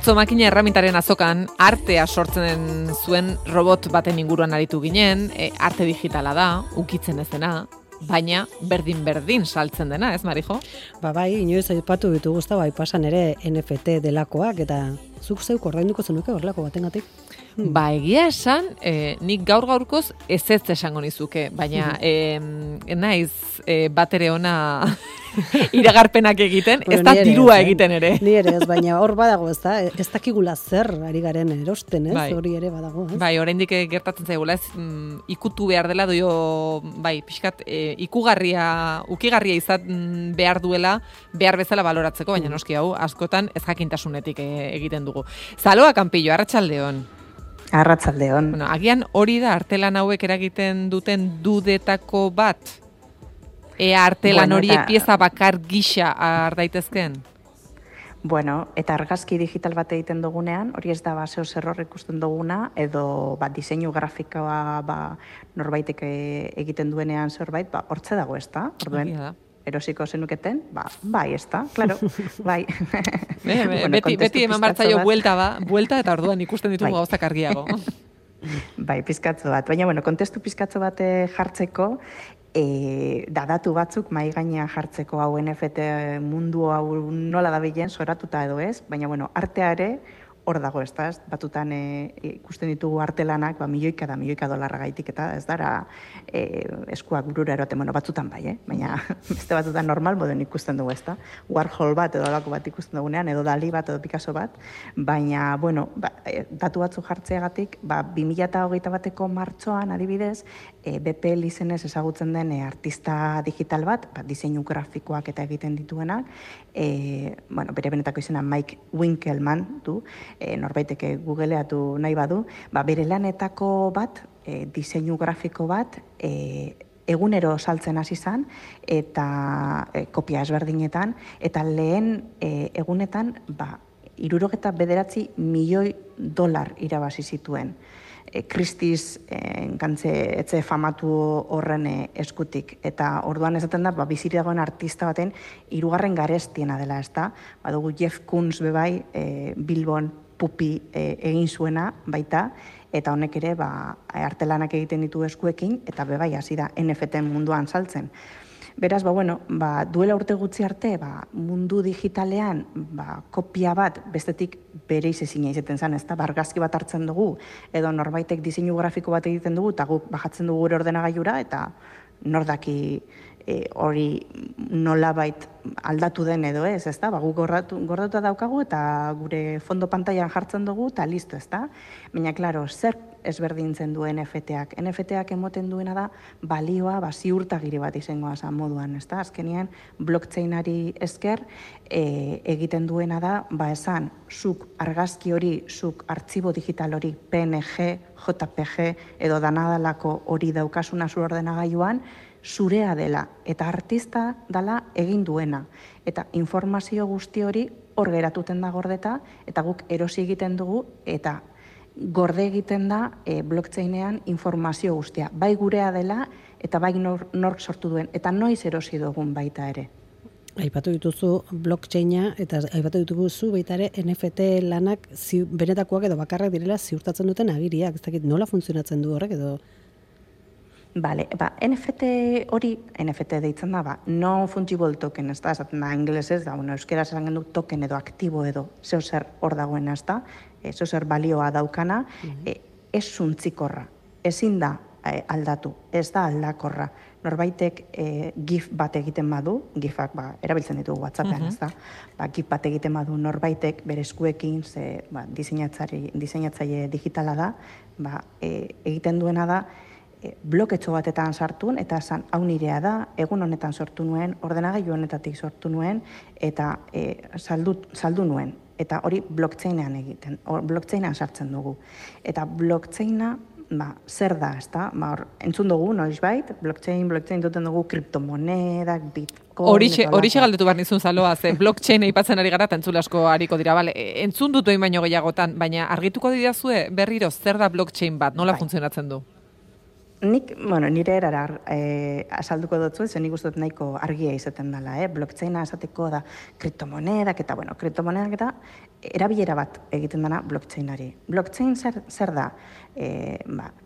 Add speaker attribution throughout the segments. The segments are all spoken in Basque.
Speaker 1: Atzo makina erramintaren azokan artea sortzen zuen robot baten inguruan aritu ginen, arte digitala da, ukitzen ez dena, baina berdin saltzen dena, ez Marijo?
Speaker 2: Bai, inoiz aipatu ditu Gustavo, aipasan ere NFT delakoak, eta zuk zeuk ordainduko zenuke horrelako batengatik?
Speaker 1: Ba, egia esan, nik gaur-gaurkoz ez esango nizuke, baina naiz bat ere ona iragarpenak egiten, ez da dirua egiten ere.
Speaker 2: Ni ere ez, baina hor badago, ez dakigula zer ari garen erosten, ez? Hori ere badago, ez?
Speaker 1: Bai, oraindik gertatzen zaigula, ez ikutu behar dela, bai, pixkat, ukigarria izan behar duela, behar bezala baloratzeko, baina noski hau, askotan ez jakintasunetik egiten dugu. Zaloa Kanpillo, arratsaldeon.
Speaker 3: Arratsaldeon.
Speaker 1: Bueno, agian hori da artelan hauek eragiten duten dudetako bat? Ea artelan horiek pieza bakar gisa har daitezkeen?
Speaker 3: Bueno, eta argazki digital bat egiten dugunean, hori ez da baseo zerror ikusten duguna, edo diseinu grafikoa norbaitek egiten duenean zerbait, hortze dago ez da? Orduen, erosiko zenuketen, bai, ez da, klaro, bai.
Speaker 1: Beti eman bartzaio buelta eta orduan ikusten ditugu gauzak argiago.
Speaker 3: Bai, pizkatzo bat. Baina, kontestu pizkatzo bat jartzeko, datu batzuk mai gainean jartzeko hau NFT mundu hau nola dabilen soratuta edo ez, baina, artea ere, hor dago, ez da, batutan ikusten ditugu artelanak, milioika dolarra gaitik, eta ez dara eskuak burura eroten, batzutan bai, baina beste batzutan normal moden ikusten dugu, ez da, Warhol bat edo alako bat ikusten dugunean, edo Dali bat edo Picasso bat, baina, datu batzu jartzeagatik, 2021 bateko martxoan adibidez, BPL izenez ezagutzen den artista digital bat, diseinu grafikoak eta egiten dituenak, bere benetako izena Mike Winkelmann du, norbaiteke googleatu nahi badu, bere lanetako bat, diseinu grafiko bat, egunero saltzen hasi zen, eta kopia ezberdinetan, eta lehen egunetan, 69 milioi dolar irabazi zituen. Christie's etxe famatu horren eskutik. Eta orduan esaten da, biziri dagoen artista baten 3. garestiena dela, ez da? Badugu Jeff Koons bebai, Bilbon pupi egin zuena baita, eta honek ere artelanak egiten ditu eskuekin, eta bebai hasi da NFT munduan saltzen. Beraz, duela urte gutxi arte, mundu digitalean, kopia bat, bestetik bere izezina izaten zen, ez da, argazki bat hartzen dugu, edo norbaitek diseinu grafiko bat egiten dugu, eta guk bajatzen dugu gure ordenagailura, eta nordaki hori nolabait aldatu den edo ez, ez da, guk gordatuta daukagu, eta gure fondo pantailan jartzen dugu, eta listo, ez da. Baina, klaro, zer ezberdintzen du NFT-ak. NFT-ak emoten duena da, balioa, ziurtagiri bat izango zan moduan, ez da. Azkenean, blockchainari esker egiten duena da, esan, zuk argazki hori, zuk artxibo digital hori, PNG, JPG, edo danadalako hori daukasuna zu ordenagailuan, zurea dela, eta artista dela egin duena. Eta informazio guzti hori hor geratuten da gordeta, eta guk erosi egiten dugu, eta gorde egiten da blockchainean informazio guztia. Bai gurea dela, eta bai nork sortu duen, eta noiz erosi dugun baita ere.
Speaker 2: Aipatu dituzu blockchaina, eta aipatu dituzu baita ere NFT lanak benetakoak edo bakarrak direla ziurtatzen duten agiriak. Ez dakit nola funtzionatzen du horrek edo...
Speaker 3: Bale, NFT hori, NFT deitzen da, non-fungible token, ez da, esaten da, ingelesez, da, euskera esan gendu token edo aktibo edo, zeo zer hor dagoen, ez da, zeo zer balioa daukana, ez zuntzikorra, ezin da aldatu, ez da aldakorra. Norbaitek GIF bat egiten badu, GIFak erabiltzen ditugu WhatsAppean, ez da, GIF bat egiten badu norbaitek bere eskuekin, diseinatzaile digitala da, egiten duena da, bloketxo batetan sartun, eta esan hau nirea da, egun honetan sortu nuen, ordenagailu honetatik sortu nuen, eta saldu nuen. Eta hori blockchainean egiten, blockchainean sartzen dugu. Eta blockchaina, zer da, ez da? Entzun dugu, noizbait, blockchain duten dugu kriptomonedak, bitcoin...
Speaker 1: Horixe galdetu behar nizun Zaloa, ze blockchain aipatzen ari gara, eta entzule asko hariko dira, bale, entzun dut behin baino gehiagotan, baina argituko didazue berriro zer da blockchain bat, nola funtzionatzen du?
Speaker 3: Nire erara azalduko dutzu, zen nik uste dut nahiko argia izaten dela, blockchaina esateko da kriptomonedak eta, kriptomonedak eta erabilera bat egiten dena blockchainari. Blockchain zer da?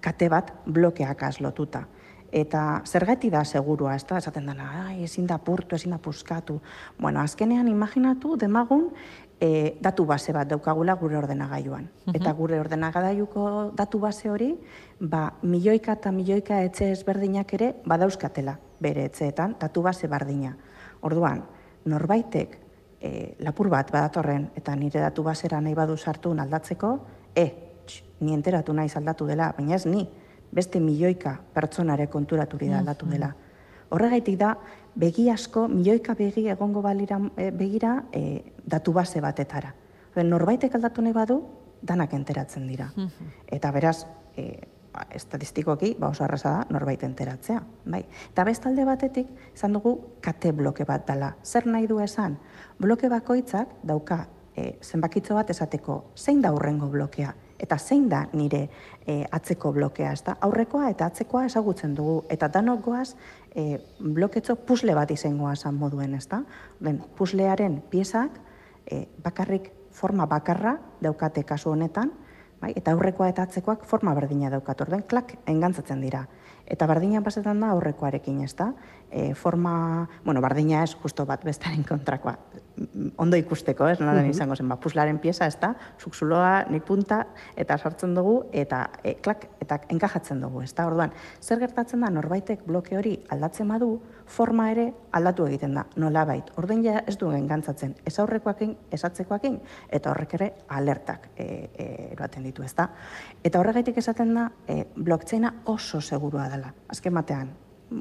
Speaker 3: Kate bat blokeak lotuta. Eta zergatik da segurua, ez da, esaten dena, ezin da apurtu, ezin da puskatu. Azkenean imaginatu demagun datu base bat daukagula gure ordenagailuan. Eta gure ordenagailuko datu base hori, milioika eta milioika etxe ezberdinak ere badauzkatela bere etxeetan, datu base bardina. Orduan, norbaitek lapur bat badatorren eta nire datu basera nahi badu sartu aldatzeko, ni enteratu naiz aldatu dela, baina ez ni, beste milioika pertsonare konturaturi da aldatu dela. Horregaitik da, begi asko, milioika begi egongo begira datu base batetara. Norbaitek aldatu nahi badu, danak enteratzen dira. Eta beraz, estatistikoki, oso arraza da, norbait enteratzea. Eta bestalde batetik, izan dugu, kate bloke bat dela. Zer nahi du esan? Bloke bakoitzak dauka zenbakitzo bat esateko, zein da hurrengo blokea? Eta zein da nire atzeko blokea, ez da? Aurrekoa eta atzekoa ezagutzen dugu. Eta danok goaz, bloketxo pusle bat izangoa esan moduen, ez da? Puslearen piezak bakarrik forma bakarra daukate kasu honetan, eta aurrekoa eta atzekoak forma berdina daukat. Orden, klak, engantzatzen dira. Eta bardina pasetan da aurrekoarekin, ez da? Forma, bardina ez, justo bat bestaren kontrakoa. Ondo ikusteko, ez? Nola izango zen, puslaren pieza, ez da? Zukzuloa, nik punta, eta sartzen dugu, eta klak, eta enkajatzen dugu, ez da? Orduan, zer gertatzen da, norbaitek bloke hori aldatzen badu, forma ere aldatu egiten da, nolabait. Orduan ja ez duen gantzatzen, ez aurrekoakin, ez atzekoakin, eta horrek ere alertak eroaten ditu, ez da? Eta horregaitik esaten da, blockchaina oso segurua dela. Azken batean,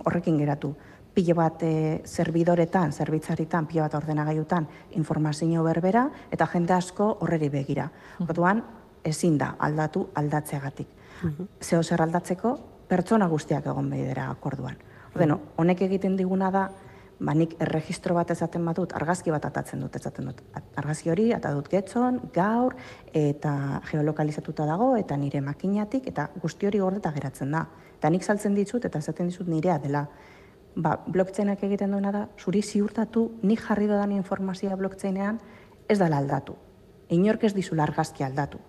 Speaker 3: horrekin geratu, pilo bat zerbidoretan, zerbitzaritan, pilo bat ordenagailutan informazio berbera, eta jende asko horreri begira. Orduan, ezin da aldatu aldatzeagatik. Zeo zer aldatzeko, pertsona guztiak egon behidera akorduan. Honek egiten diguna da, nik erregistro bat ezaten badut, argazki bat atatzen dut, argazki hori, eta dut getzon, gaur, eta geolokalizatuta dago, eta nire makinatik, eta guzti hori gordeta geratzen da. Eta nik saltzen ditut, eta esaten ditut nirea dela. Blockchainak egiten duena da, zuri ziurtatu, nik jarri dodan informazioa blockchainean, ez dela aldatu. Inork ez dizula argazki aldatu.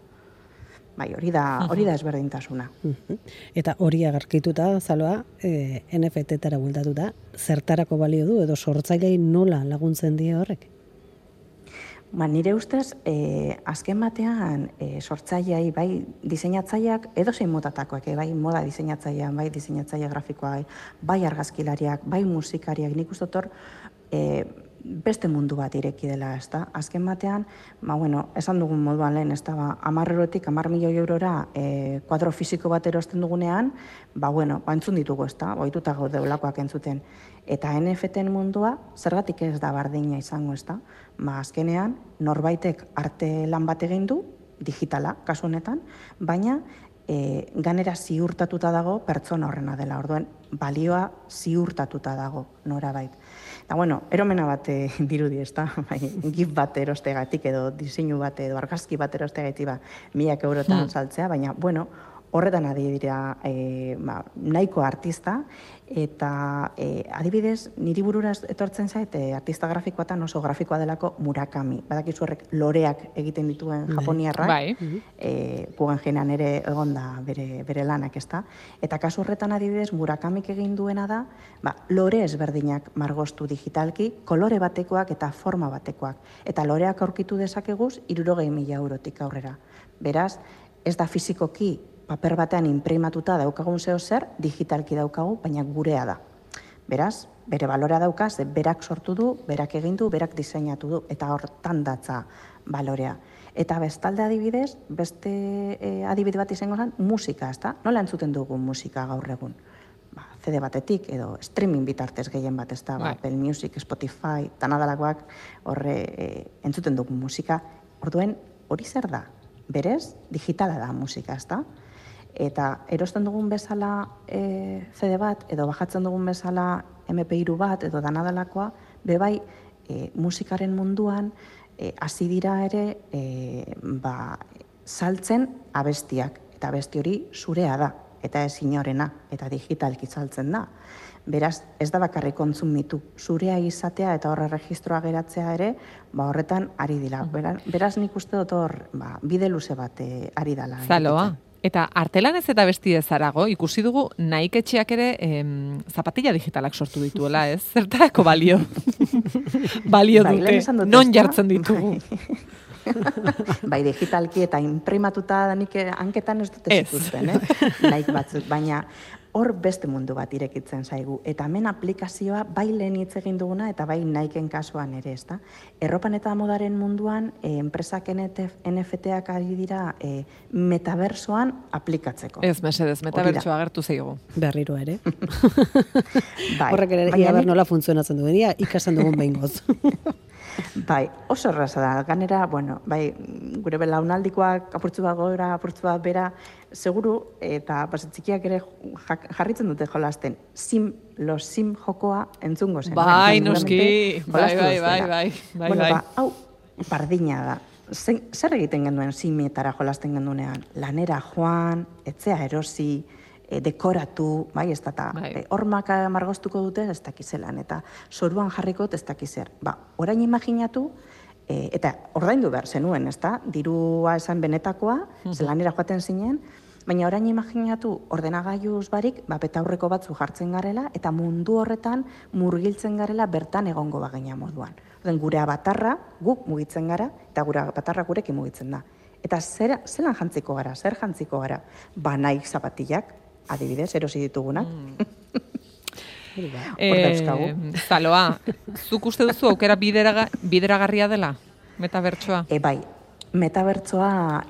Speaker 3: Hori da ezberdintasuna.
Speaker 2: Eta hori agarkituta, Zaloa, NFT-tara bueltatuta, zertarako balio du, edo sortzailei nola laguntzen die horrek?
Speaker 3: Nire ustez, azken batean sortzaileai, bai diseinatzaileak, edo zein motatakoak, bai moda diseinatzailean, bai diseinatzaile grafikoa, bai argazkilariak, bai musikariak, nik uste hor beste mundu bat ireki dela, ez da? Azken batean, esan dugun moduan lehen, ez da, 10 milioi eurora kuadro fisiko bat erosten dugunean, entzun ditugu, ez da, ohituta gaude olakoak entzuten. Eta NFT-en mundua, zergatik ez da bardina izango, ez da? Azkenean, norbaitek arte lan bat egin du, digitala, kasu honetan, baina ganera ziurtatuta dago pertsona horrena dela, orduen balioa ziurtatuta dago norabait. Eta eromena bat dirudi, ez da? Gif bat erostegatik edo diseinu bat edo argazki bat erostegatik 1.000 eurotan saltzea, baina horretan adibidea nahiko artista, eta adibidez, niri burura etortzen zait, artista grafikoatan oso grafikoa delako Murakami. Badakizu horrek loreak egiten dituen japoniarrak, Guggenheimen ere egonda bere lanak, ez da? Eta kasu horretan adibidez, Murakamik egin duena da, lore ezberdinak margostu digitalki, kolore batekoak eta forma batekoak. Eta loreak aurkitu dezakeguz, 60.000 eurotik aurrera. Beraz, ez da fizikoki paper batean inprimatuta daukagun zeo zer, digitalki daukagu, baina gurea da. Beraz, bere balorea dauka, ze berak sortu du, berak egin du, berak diseinatu du, eta hortan datza balorea. Eta bestalde adibidez, beste adibide bat izango zen, musika, ez da? Nola entzuten dugu musika gaur egun? CD batetik, edo streaming bitartez gehien bat, ez da? Apple Music, Spotify, tanadalakoak horre entzuten dugu musika. Orduen, hori zer da? Berez, digitala da musika, ez da? Eta erosten dugun bezala CD bat, edo bajatzen dugun bezala MP3 bat, edo danadalakoa, bebai musikaren munduan hasi dira ere saltzen abestiak. Eta abesti hori zurea da. eta ez inorena, eta digitalki saltzen da. Beraz, ez da bakarrik kontsumitu zurea izatea eta horre registroa geratzea ere, horretan ari dira. Beraz, nik uste dut hor, bide luze bat ari dela.
Speaker 1: Zaloa. Eta artelanez eta besti ezarago, ikusi dugu Nike etxeak ere zapatilla digitalak sortu dituela, ez? Zertarako balio? Balio dute, non jartzen ditugu?
Speaker 3: Bai, digitalki eta imprimatuta nik hanketan ez dute zituzten, Nike batzuk, baina hor beste mundu bat irekitzen zaigu. Eta hemen aplikazioa bai lehen hitz egin duguna eta bai Nikeen kasuan ere, ezta? Erropan eta modaren munduan enpresak NFT-ak ari dira metaversoan aplikatzeko.
Speaker 1: Ez, mesedez, metaversoa agertu zaigu.
Speaker 2: Berriro ere. Horrek ere ia ber nola funtzionatzen duen, ikasten dugun behingoz.
Speaker 3: Bai, oso erraza da. Ganera, bai, gure belaunaldikoak apurtzu bat gora, apurtzu bat bera, seguru, eta txikiak ere jarritzen dute jolasten, los sim jokoa entzungo zen.
Speaker 1: Bai, noski, bai.
Speaker 3: Hau, bardina da. Zer egiten genuen simietara jolasten gendunean? Lanera joan, etzea erosi, dekoratu, bai, ez da, hormak margoztuko dute ez dakizelan, eta soruan jarriko ez dakizer. Orain imaginatu, eta ordaindu behar zenuen, ez da, dirua esan benetakoa, zelanera joaten zinen, baina orain imaginatu ordenagailuz barik, betaurreko batzu jartzen garela, eta mundu horretan murgiltzen garela bertan egongo bagina moduan. Gure abatarra guk mugitzen gara, eta gure abatarra gurekin mugitzen da. Eta zelan jantziko gara, zer jantziko gara? Nike zapatillak, adibidez, erosi ditugunak.
Speaker 1: Zaloa, zuk uste duzu aukera bideragarria dela, metabertsoa?
Speaker 3: Bai, metabertsoa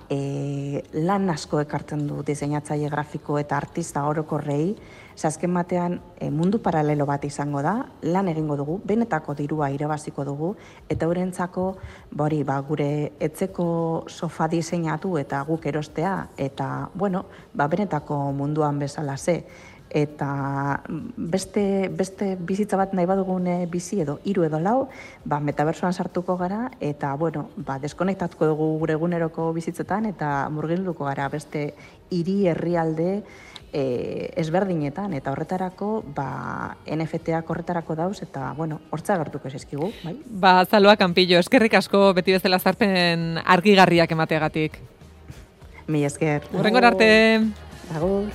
Speaker 3: lan asko ekartzen du diseinatzaile grafiko eta artista orokorrei, azken batean mundu paralelo bat izango da, lan egingo dugu, benetako dirua irabaziko dugu, eta eurentzako gure etzeko sofa diseinatu eta guk erostea, eta, benetako munduan bezala ze. Eta beste bizitza bat nahi badugun bizi edo 3 edo 4, metabersoan sartuko gara, eta, deskonektatuko dugu gure eguneroko bizitzetan, eta murgilduko gara beste hiri herrialde ezberdinetan, eta horretarako, NFT-ak horretarako dauz, eta, hortza gertuko eskigu, bai?
Speaker 1: Zaloa Campillo, eskerrik asko beti bezala zarpen argigarriak emateagatik.
Speaker 3: Mila esker.
Speaker 1: Hurrengor arte.
Speaker 3: Agur.